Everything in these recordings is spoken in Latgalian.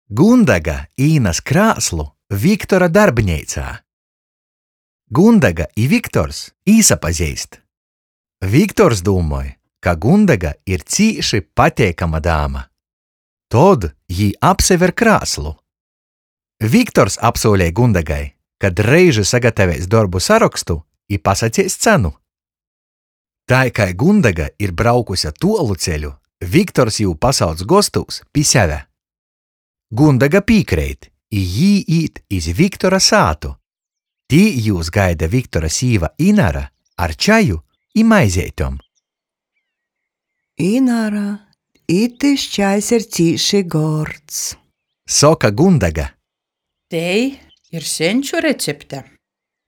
Gundega īnas krāslu Viktora darbneicā. Gundega i Viktors īsapazeist. Viktors dūmoj, ka Gundega ir cīši pateikama dāma. Tod jī apsaver krāslu. Viktors apsūlej Gundegai, ka dreiži sagataveis dorbu sarokstu i pasaceis cenu. Tai kai Gundega ir braukuse tuolu ceļu, Viktors jū pasauc gostūs pi seve. Gundega pīkreit, i jī īt iz Viktora sātu. Tī jūs gaida Viktora sīva Inara ar čaju i maizeitem. Inara, itys čajs ir cīši gords. Soka Gundega. Tei ir seņču recepte.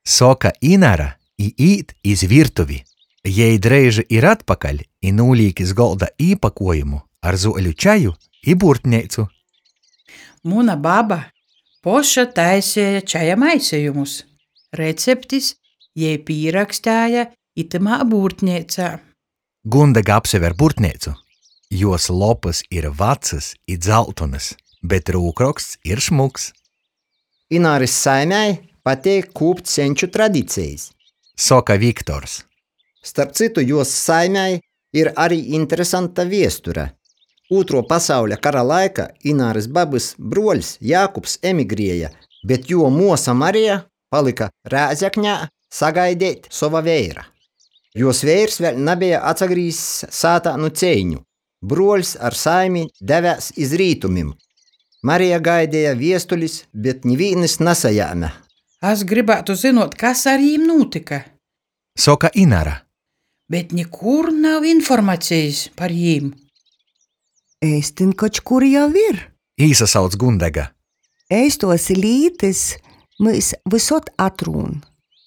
Soka Inara i īt iz virtuvi. Jei dreiži ir atpakaļ i nūlīk iz golda īpakuojumu ar zuoļu čaju i būrtneicu. Muna baba poša taiseja čaja maisejumus. Receptis jei pīrakstēja itymā būrtneicā. Gundega apsaver būrtneicu. Juos lopys ir vacys i dzaltonys, bet rūkroksts ir šmuks. Inārys saimei pateik kūpt seņču tradicejis. Soka Viktors. Starp cytu, juos saimei ir ari interesanta viesture. Ūtruo pasauļa kara laika Inārys babys bruoļs Jākubs emigrieja, bet juo muosa Marija palyka Rēzeknē sagaideit sova veira. Juos veirs vēļ nabeja atsagrīzs sātā nu ceiņu. Bruoļs ar saimi devēs iz rītumim. Marija gaideja viestulis, bet nivīnys nasajēme. As grybātu zynuot, kas ar jīm nūtyka. Soka Inara. Bet nikur nav informacejis par jīm. Eistyn koč kur jau ir. Īsasauc Gundega. Eistuos lītys myus vysod atrūn.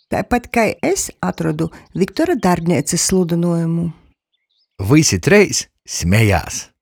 Taipat kai es atrodu Viktora darbneicys sludynuojumu. Vysi treis smejās.